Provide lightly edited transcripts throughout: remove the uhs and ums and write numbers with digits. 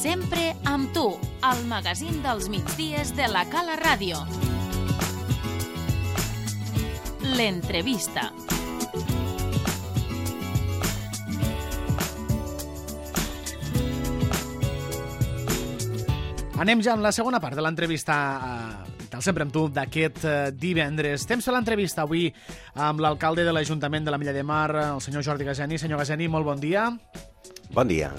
Sempre amb tu, al magazín dels migdies de la Cala Ràdio. L'entrevista. Anem ja en la segona part de l'entrevista del Sempre amb tu d'aquest divendres. Temps per l'entrevista avui amb l'alcalde de l'Ajuntament de la Mella de Mar, el senyor Jordi Gageni. Senyor Gageni, molt bon dia. Bon dia.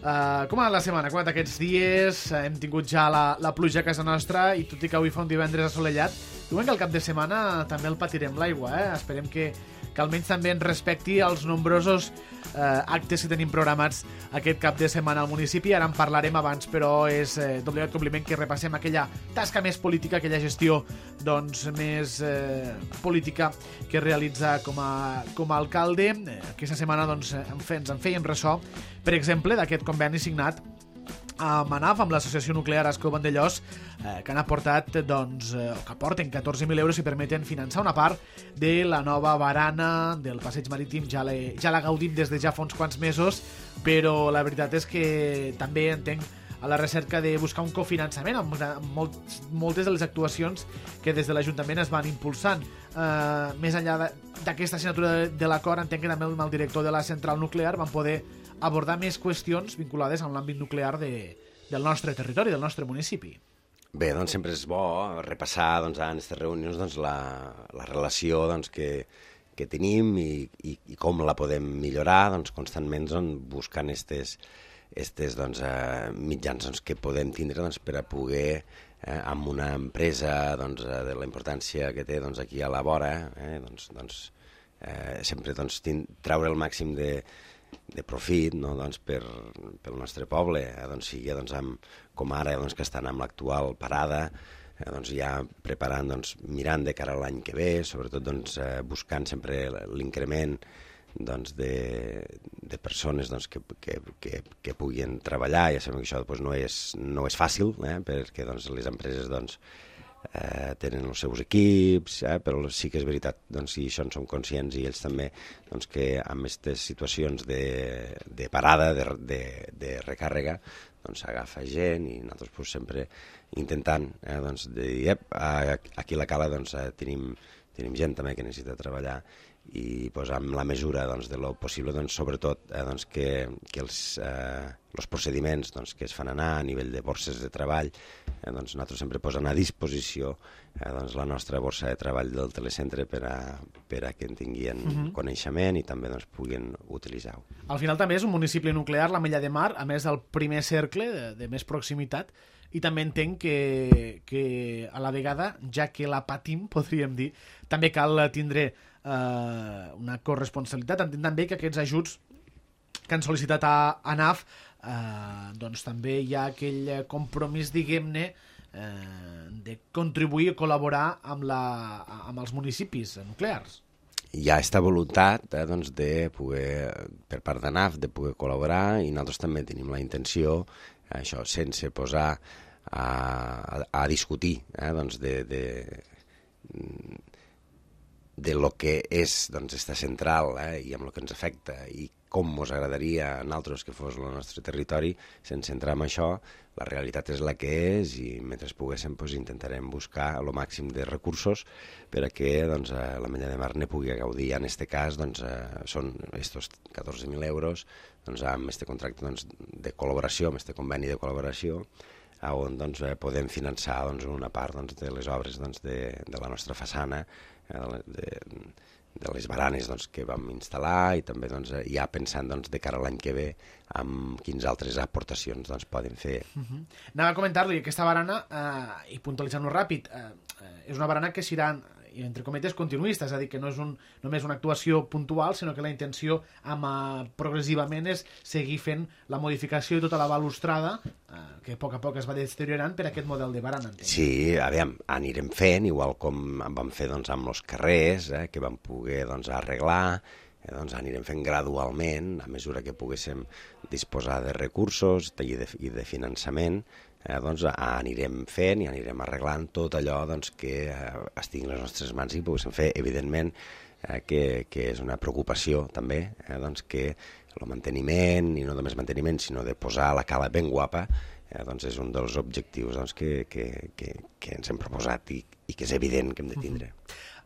Com ha anat la setmana? Com ha anat aquests dies? Hem tingut ja la pluja a casa nostra i tot i que avui fa un divendres assolellat, diuen que al cap de setmana també el patirem l'aigua. Esperem que almenys també ens respecti els nombrosos actes que tenim programats aquest cap de setmana al municipi. Ara en parlarem abans, però és d'obligat compliment que repassem aquella tasca més política, aquella gestió més política que realitza com a alcalde. Aquesta setmana ens en fèiem ressò, per exemple, d'aquest conveni signat amb ANAF, amb l'Associació Nuclear Ascó Vandellòs, que han aportat, que aporten 14.000 euros i permeten finançar una part de la nova barana del passeig marítim. Ja la gaudim des de ja fa uns quants mesos, però la veritat és que també entenc a la recerca de buscar un cofinançament amb moltes de les actuacions que des de l'Ajuntament es van impulsant. Més enllà d'aquesta signatura de l'acord, entenc que també amb el director de la central nuclear van poder abordar més qüestions vinculades amb l'àmbit nuclear del nostre territori, del nostre municipi. Bé, sempre és bo repassar en aquestes reunions la relació que tenim i com la podem millorar, constantment buscant estes mitjans que podem tindre per a poder, amb una empresa de la importància que té aquí a la vora, sempre treure el màxim de profit pel nostre poble, sigui com ara que estan amb l'actual parada, ja preparant, mirant de cara a l'any que ve, sobretot buscant sempre l'increment de persones que puguin treballar. Ja sabem que això no és fàcil, perquè les empreses tenen els seus equips, però sí que és veritat, i això en som conscients, i ells també, que amb aquestes situacions de parada, de recàrrega, s'agafa gent, i nosaltres sempre intentant dir, aquí a la Cala tenim gent també que necessita treballar, i amb la mesura de lo possible, sobretot que els procediments que es fan anar a nivell de borses de treball, nosaltres sempre posem a disposició la nostra borsa de treball del telecentre per a que en tinguin coneixement i també puguin utilitzar-ho. Al final també és un municipi nuclear, la Mella de Mar, a més del primer cercle de més proximitat, i també entenc que a la vegada, ja que la patim, podríem dir, també cal tindre una corresponsabilitat. Entenc també que aquests ajuts que han sol·licitat a ANAF també hi ha aquell compromís, diguem-ne, de contribuir i col·laborar amb els municipis nuclears. Hi ha aquesta voluntat de poder, per part d'ANAF, de poder col·laborar, i nosaltres també tenim la intenció, això sense posar a discutir de lo que és esta central i amb el que ens afecta i com ens agradaria a nosaltres que fos el nostre territori, sense entrar en això. La realitat és la que és, i mentre poguéssim intentarem buscar el màxim de recursos per a que la Mella de Mar ne pugui gaudir. En aquest cas són estos 14.000 euros amb aquest contracte de col·laboració, amb aquest conveni de col·laboració, on podem finançar una part de les obres de la nostra façana, de les baranes que vam instal·lar, i també ja pensant de cara a l'any que ve amb quines altres aportacions poden fer. Anava a comentar-li, aquesta barana, i puntualitzant-ho ràpid, és una barana que serà, entre cometes, continuista, és a dir, que no és només una actuació puntual, sinó que la intenció progressivament és seguir fent la modificació de tota la balustrada, que a poc es va deteriorant per aquest model de barana. Sí, aviam, anirem fent, igual com vam fer amb els carrers, que vam poder arreglar, anirem fent gradualment, a mesura que poguéssim disposar de recursos i de finançament, anirem fent i anirem arreglant tot allò que estigui en les nostres mans i poguéssim fer, evidentment, que és una preocupació també, doncs que el manteniment, i no només manteniment, sinó de posar la cala ben guapa, doncs és un dels objectius doncs, que ens hem proposat i que és evident que hem de tindre.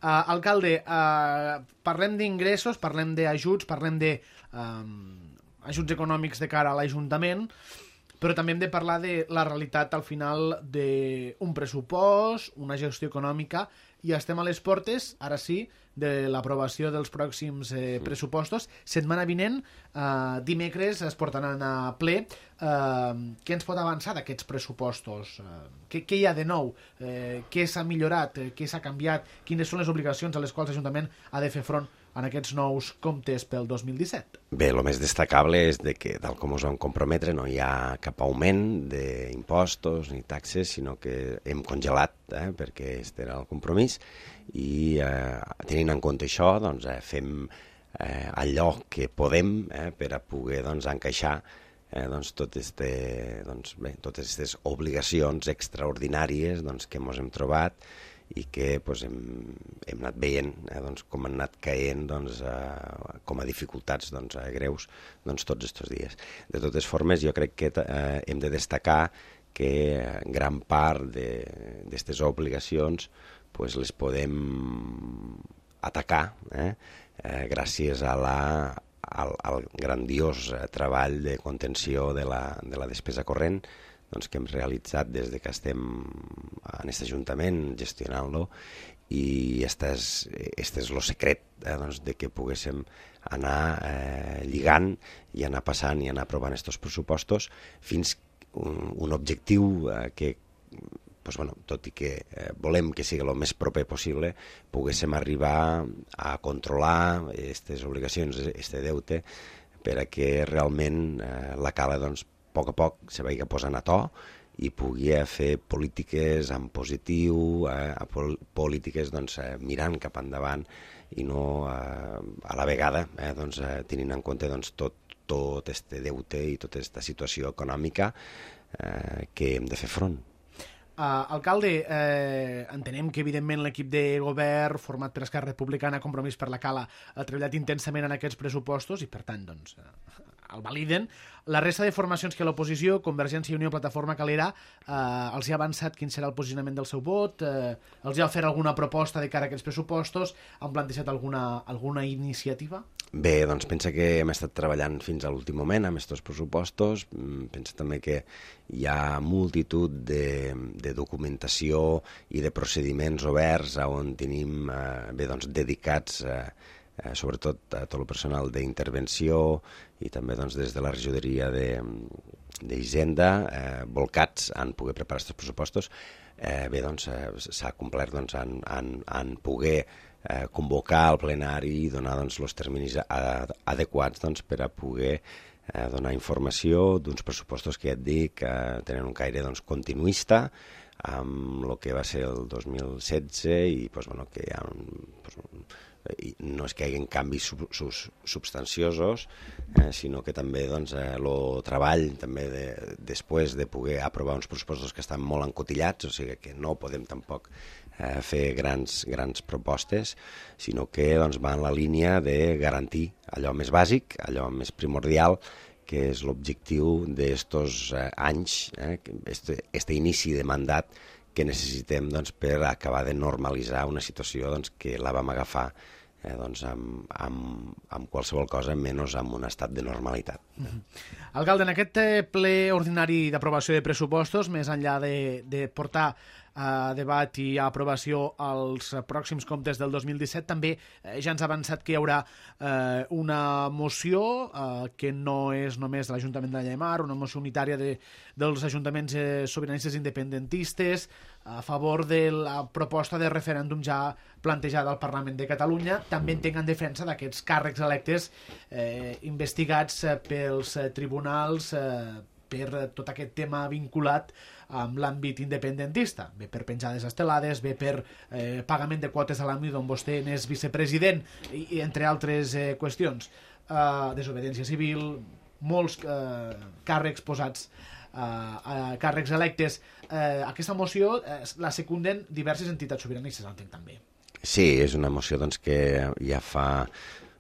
Alcalde, parlem d'ingressos, parlem d'ajuts, parlem d'ajuts econòmics de cara a l'Ajuntament, però també hem de parlar de la realitat al final d'un pressupost, una gestió econòmica, i estem a les portes, ara sí, de l'aprovació dels pròxims pressupostos. Setmana vinent, dimecres, es portaran a ple. Què ens pot avançar d'aquests pressupostos? Què hi ha de nou? Què s'ha millorat? Què s'ha canviat? Quines són les obligacions a les quals l'Ajuntament ha de fer front en aquests nous comptes pel 2017? Bé, el més destacable és que, tal com us vam comprometre, no hi ha cap augment d'impostos ni taxes, sinó que hem congelat, perquè aquest era el compromís, i tenint en compte això, doncs, fem allò que podem per a poder encaixar totes aquestes obligacions extraordinàries que ens hem trobat i que hem anat veient com han anat caient com a dificultats greus tots aquests dies. De totes formes, jo crec que hem de destacar que gran part d'aquestes obligacions les podem atacar gràcies al grandiós treball de contenció de la despesa corrent que hem realitzat des que estem en aquest Ajuntament gestionant-lo, i este és el secret de que poguéssim anar lligant i anar passant i anar aprovant aquests pressupostos fins un objectiu que, tot i que volem que sigui el més proper possible, poguéssim arribar a controlar aquestes obligacions, aquest deute, per a que realment la cala, a poc a poc, se vagi posant a to i pugui fer polítiques en positiu, polítiques mirant cap endavant i no a la vegada tenint en compte tot aquest deute i tota aquesta situació econòmica que hem de fer front. Alcalde, entenem que evidentment l'equip de govern format per Esquerra Republicana, Compromís per la Cala, ha treballat intensament en aquests pressupostos i per tant el validen. La resta de formacions que l'oposició, Convergència i Unió, Plataforma Calera, els ha avançat quin serà el posicionament del seu vot, els ha fet alguna proposta de cara a aquests pressupostos, han plantejat alguna iniciativa? Bé, pensa que hem estat treballant fins a l'últim moment amb aquests pressupostos. Pensa també que hi ha multitud de documentació i de procediments oberts on tenim dedicats sobretot a tot el personal d'intervenció i també des de la regidoria d'Hisenda volcats en poder preparar aquests pressupostos. Bé, s'ha complert en poder convocar el plenari i donar els terminis adequats per a poder donar informació d'uns pressupostos que ja et dic tenen un caire continuista amb el que va ser el 2016 i que hi ha no és que hi hagi canvis substanciosos, sinó que també el treball també després de poder aprovar uns pressupostos que estan molt encotillats, o sigui que no podem tampoc fer grans propostes, sinó que va en la línia de garantir allò més bàsic, allò més primordial, que és l'objectiu d'estos anys, este inici de mandat que necessitem per acabar de normalitzar una situació que la vam agafar amb qualsevol cosa menys amb un estat de normalitat. Alcalde, en aquest ple ordinari d'aprovació de pressupostos, més enllà de portar a debat i a aprovació els pròxims comptes del 2017, també ja ens ha avançat que hi haurà una moció que no és només de l'Ajuntament de Llemar, una moció unitària dels ajuntaments sobiranistes independentistes a favor de la proposta de referèndum ja plantejada al Parlament de Catalunya. També entenc en defensa d'aquests càrrecs electes investigats pels tribunals per tot aquest tema vinculat amb l'àmbit independentista, bé per penjades estelades, bé per pagament de quotes a l'àmbit on vostè n'és vicepresident, i entre altres qüestions. Desobediència civil, molts càrrecs posats, càrrecs electes. Aquesta moció la secunden diverses entitats sobiranistes, entenc també. Sí, és una moció doncs, que ja fa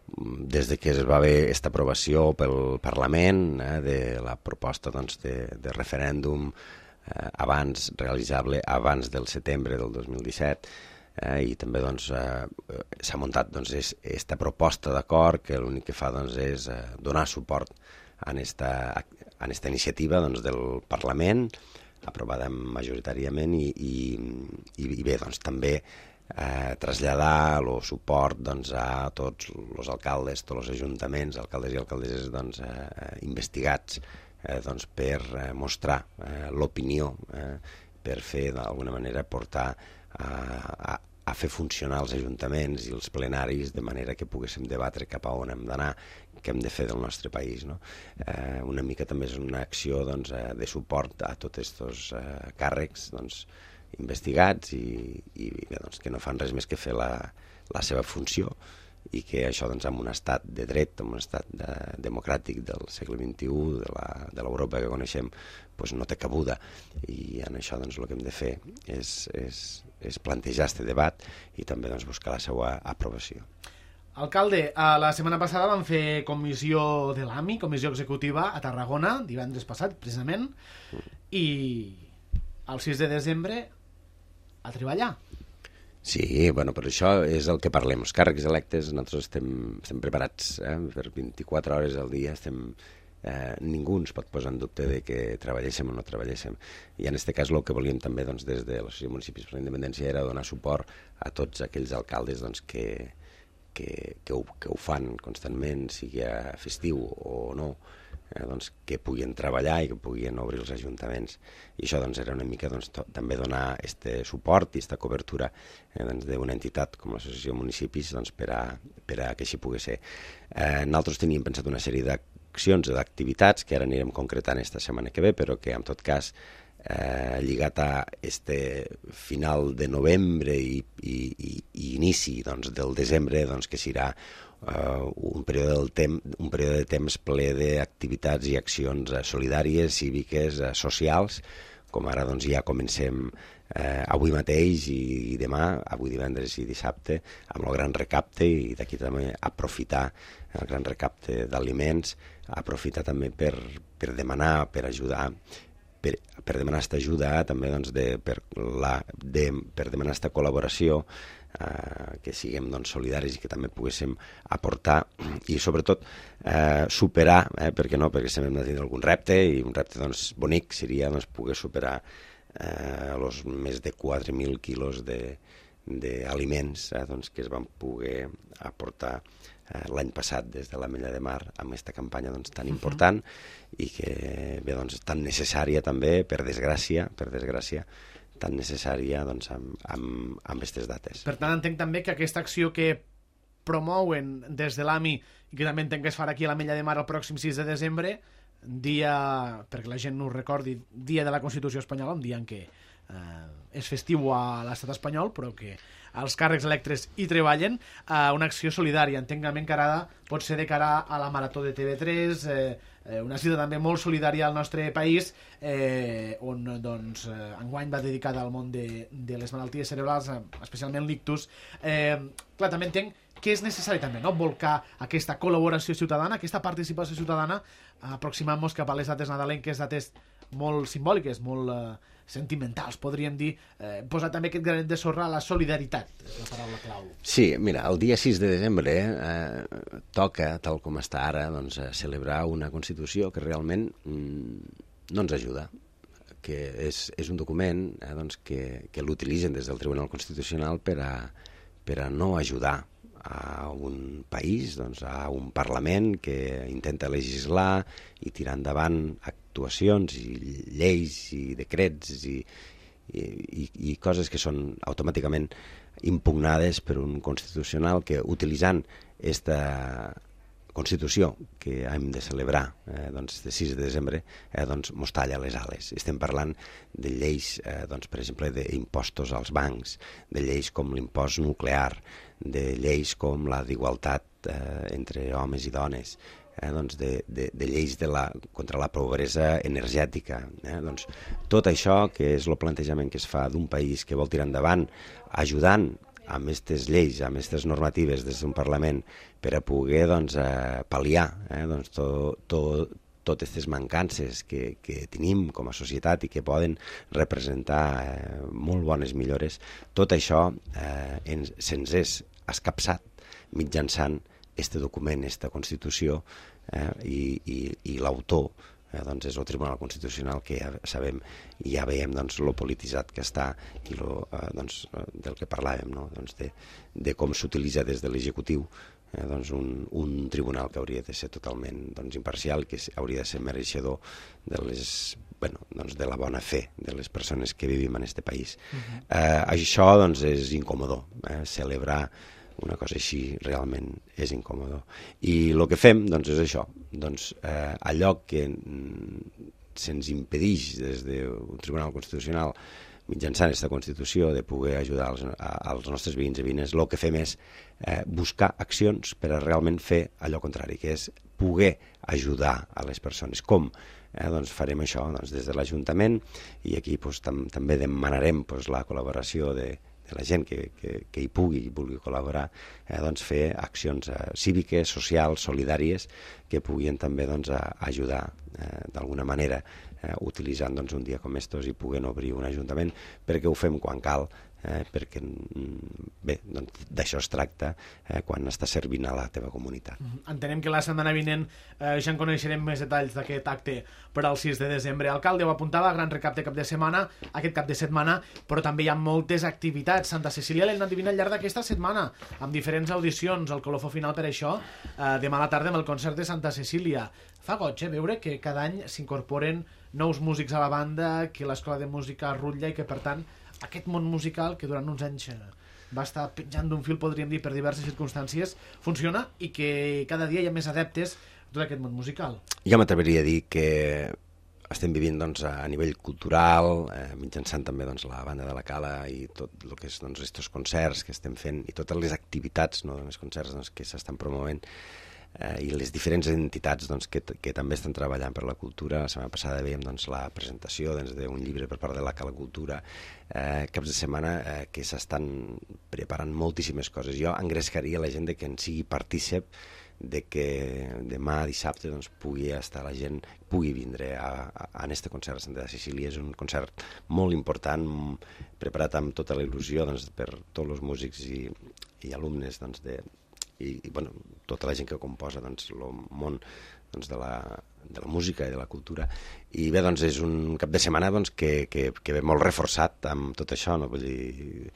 des de que es va haver aquesta aprovació pel Parlament de la proposta doncs, de referèndum realitzable abans del setembre del 2017, i també doncs, s'ha muntat doncs, aquesta proposta d'acord que l'únic que fa doncs, és donar suport a aquesta iniciativa doncs, del Parlament, aprovada majoritàriament, i bé, doncs, també traslladar el suport doncs, a tots els alcaldes, tots els ajuntaments, alcaldes i alcaldesses doncs, investigats doncs, per mostrar l'opinió, per fer d'alguna manera portar a fer funcionar els ajuntaments i els plenaris de manera que poguéssim debatre cap a on hem d'anar, què hem de fer del nostre país. No? Una mica també és una acció doncs, de suport a tots aquests càrrecs doncs, investigats i bé, doncs, que no fan res més que fer la seva funció i que això doncs, en un estat de dret, en un estat democràtic del segle XXI, de l'Europa que coneixem, doncs no té cabuda, i en això doncs, el que hem de fer és plantejar aquest debat i també doncs, buscar la seva aprovació. Alcalde, la setmana passada vam fer comissió de l'AMI, comissió executiva a Tarragona, divendres passat, precisament, i el 6 de desembre a treballar. Sí, bueno, per això és el que parlem. Els càrrecs electes, nosaltres estem preparats per 24 hores al dia, ningú ens pot posar en dubte de que treballéssim o no treballéssim. I en aquest cas el que volíem també doncs, des de l'Associació de Municipis per la Independència era donar suport a tots aquells alcaldes doncs, que ho fan constantment, sigui festiu o no, doncs, que puguin treballar i que puguin obrir els ajuntaments. I això doncs, era una mica doncs, també donar aquest suport i aquesta cobertura doncs, d'una entitat com l'Associació de Municipis doncs, per a que així pugui ser. Nosaltres teníem pensat una sèrie d'accions o d'activitats que ara anirem concretant esta setmana que ve, però que en tot cas lligat a este final de novembre i inici doncs, del desembre, doncs, que serà un període de temps ple d'activitats i accions solidàries, cíviques, socials, com ara doncs, ja comencem avui mateix i demà, avui divendres i dissabte, amb el gran recapte, i d'aquí també aprofitar el gran recapte d'aliments, aprofitar també per demanar, per ajudar, per demanar aquesta ajuda, també doncs, per demanar aquesta col·laboració, que siguem doncs, solidaris i que també poguéssim aportar i sobretot superar, perquè no, perquè sempre hem de tenir algun repte, i un repte doncs, bonic seria doncs, poder superar els més de 4.000 quilos d'aliments doncs, que es van poder aportar l'any passat des de l'Ametlla de Mar amb aquesta campanya doncs, tan important i que bé, doncs, tan necessària també, per desgràcia, tan necessària doncs, amb aquestes dates. Per tant, entenc també que aquesta acció que promouen des de l'AMI i que també entenc que es farà aquí a l'Ametlla de Mar el pròxim 6 de desembre, dia, perquè la gent no ho recordi, dia de la Constitució espanyola, un dia en què és festiu a l'estat espanyol, però que els càrrecs electes hi treballen, una acció solidària, entenc que encarada pot ser de cara a la Marató de TV3, una cita també molt solidària al nostre país, on doncs, enguany va dedicada al món de les malalties cerebrals, especialment l'ictus. Clar, també entenc que és necessari també, no?, volcar aquesta col·laboració ciutadana, aquesta participació ciutadana, aproximant-nos cap a les dates nadalenques, dates molt simbòliques, molt sentimentals, podríem dir, posar també aquest granet de sorra a la solidaritat, és la paraula clau. Sí, mira, el dia 6 de desembre toca, tal com està ara, doncs, celebrar una Constitució que realment no ens ajuda, que és un document doncs, que l'utilitzen des del Tribunal Constitucional per a no ajudar a un país, doncs, a un Parlament que intenta legislar i tirar endavant actuacions i lleis i decrets i coses que són automàticament impugnades per un constitucional que, utilitzant aquesta Constitució que hem de celebrar doncs, el 6 de desembre, doncs, mos talla les ales. Estem parlant de lleis, doncs, per exemple, d'impostos als bancs, de lleis com l'impost nuclear, de lleis com la d'igualtat entre homes i dones, doncs de lleis contra la pobresa energètica. Doncs, tot això, que és el plantejament que es fa d'un país que vol tirar endavant, ajudant amb aquestes lleis, amb aquestes normatives des d'un Parlament per a poder pal·liar totes aquestes mancances que tenim com a societat i que poden representar molt bones millores, tot això se'ns és escapçat mitjançant este document, esta Constitució, i l'autor és el Tribunal Constitucional, que ja sabem i ja veiem lo polititzat que està i del que parlàvem, no? De com s'utilitza des de l'executiu un tribunal que hauria de ser totalment imparcial, que hauria de ser mereixedor de la bona fe de les persones que vivim en aquest país. Això és incòmode, celebrar una cosa així realment és incòmode. I el que fem és això, allò que se'ns impedeix des d'un Tribunal Constitucional mitjançant aquesta Constitució de poder ajudar als nostres veïns i veïnes, el que fem és buscar accions per a realment fer allò contrari, que és poder ajudar a les persones. Com? Farem això des de l'Ajuntament, i aquí també demanarem la col·laboració de la gent que hi vulgui col·laborar, fer accions cíviques, socials, solidàries, que puguin també ajudar d'alguna manera, utilitzant un dia com estos i puguin obrir un ajuntament, perquè ho fem quan cal, perquè d'això es tracta quan està servint a la teva comunitat. Entenem que la setmana vinent ja en coneixerem més detalls d'aquest acte per al 6 de desembre. Alcalde, ho apuntava, gran recapte cap de setmana, aquest cap de setmana, però també hi ha moltes activitats. Santa Cecília l'hem anat vivint al llarg d'aquesta setmana, amb diferents audicions, el colofó final per això, demà a la tarda amb el concert de Santa Cecília. Fa goig veure que cada any s'incorporen nous músics a la banda, que l'escola de música rutlla i que, per tant, aquest món musical, que durant uns anys va estar penjant d'un fil, podríem dir, per diverses circumstàncies, funciona i que cada dia hi ha més adeptes a tot aquest món musical. Jo m'atreviria a dir que estem vivint a nivell cultural, mitjançant també la banda de la Cala i tot el que és estos concerts que estem fent i totes les activitats, els concerts que s'estan promovent, i les diferents entitats que també estan treballant per la cultura. La setmana passada veiem la presentació d'un llibre per part de la Cala Cultura, caps de setmana que s'estan preparant moltíssimes coses. Jo engrescaria la gent que en sigui partícip de que demà dissabte pugui estar la gent, pugui vindre a aquest concert a Santa Cecília. És un concert molt important, preparat amb tota la il·lusió per tots els músics i alumnes i tota la gent que composa el món de la música i de la cultura. I bé, és un cap de setmana que ve molt reforçat amb tot això, no? Vull dir,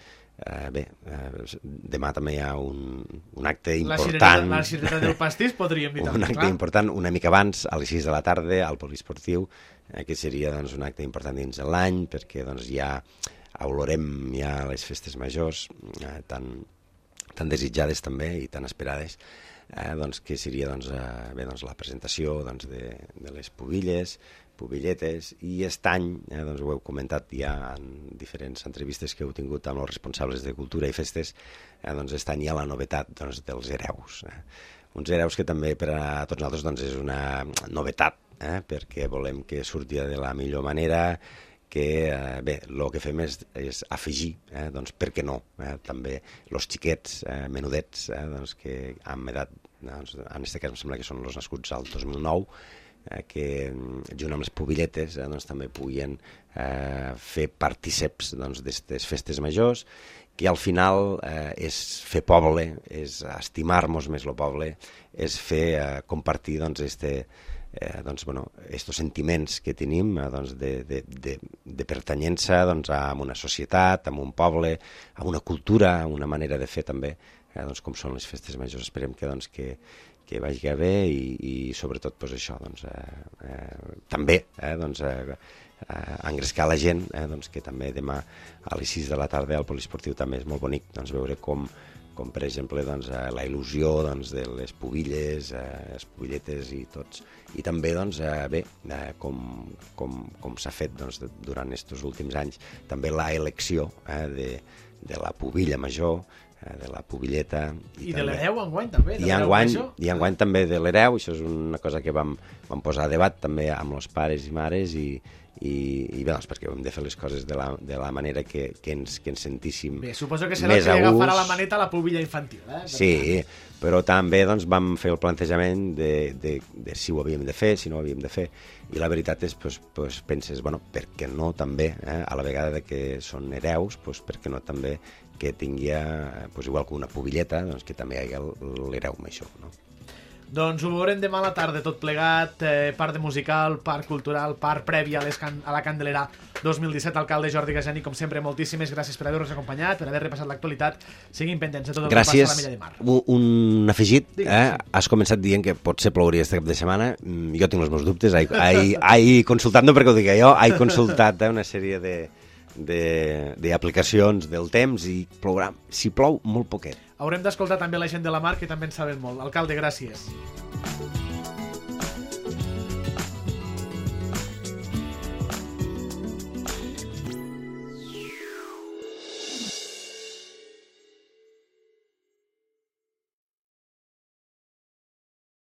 demà també hi ha un acte important. La cirereta del pastís, podríem dir. Un acte important, una mica abans, a les 6 de la tarda, al poliesportiu, que seria un acte important dins de l'any, perquè ja olorem ja les festes majors, tan desitjades també i tan esperades, que seria la presentació de les pubilletes, i aquest any, ho heu comentat ja en diferents entrevistes que heu tingut amb els responsables de cultura i festes, aquest any hi ha la novetat dels hereus. Uns hereus que també per a tots nosaltres és una novetat, perquè volem que surti de la millor manera, que el que fem és afegir, per què no, també els xiquets menudets que amb edat, en aquest cas em sembla que són els nascuts al 2009, que junt amb les pubilletes també puguin fer partíceps d'aquestes festes majors, que al final és fer poble, és estimar-nos més el poble, és fer compartir estos sentiments que tenim de pertanyença a una societat, a un poble, a una cultura, a una manera de fer també, com són les festes majors. Esperem que vagi bé i sobretot això, també engrescar la gent, que també demà a les 6 de la tarda al poliesportiu també és molt bonic veure com per exemple la il·lusió de les pubilles, les pubilletes i tots, i també com s'ha fet durant aquests últims anys també la elecció de la pubilla major, de la pubilleta i de l'hereu enguany també, i enguany també de l'hereu. Això és una cosa que vam posar a debat també amb els pares i mares, i i bé, doncs perquè hem de fer les coses de la manera que ens sentíssim Bé, suposo que serà el més que li a agafarà la gust. maneta a la pubilla infantil, Sí, però també doncs, vam fer el plantejament de si ho havíem de fer, si no ho havíem de fer, i la veritat és, doncs, penses, bueno, per què no també, a la vegada que són hereus, doncs, per què no també que tingui, doncs, igual que una pubilleta, doncs, que també hi hagi l'hereu amb això, no? Doncs ho veurem demà a la tarda, tot plegat, part de musical, part cultural, part prèvia a la Candelera 2017. Alcalde Jordi Gasani, com sempre, moltíssimes gràcies per haver-nos acompanyat, per haver repassat l'actualitat. Siguin pendents de tot el que passa a la Milla de Mar. Un afegit, Digues, sí. Has començat dient que potser plouria este cap de setmana, jo tinc els meus dubtes, consultant, no perquè ho digui jo, he consultat una sèrie d'aplicacions del temps i plourà, si plou, molt poquet. Haurem d'escoltar també la gent de la Mar, que també en saben molt. Alcalde, gràcies.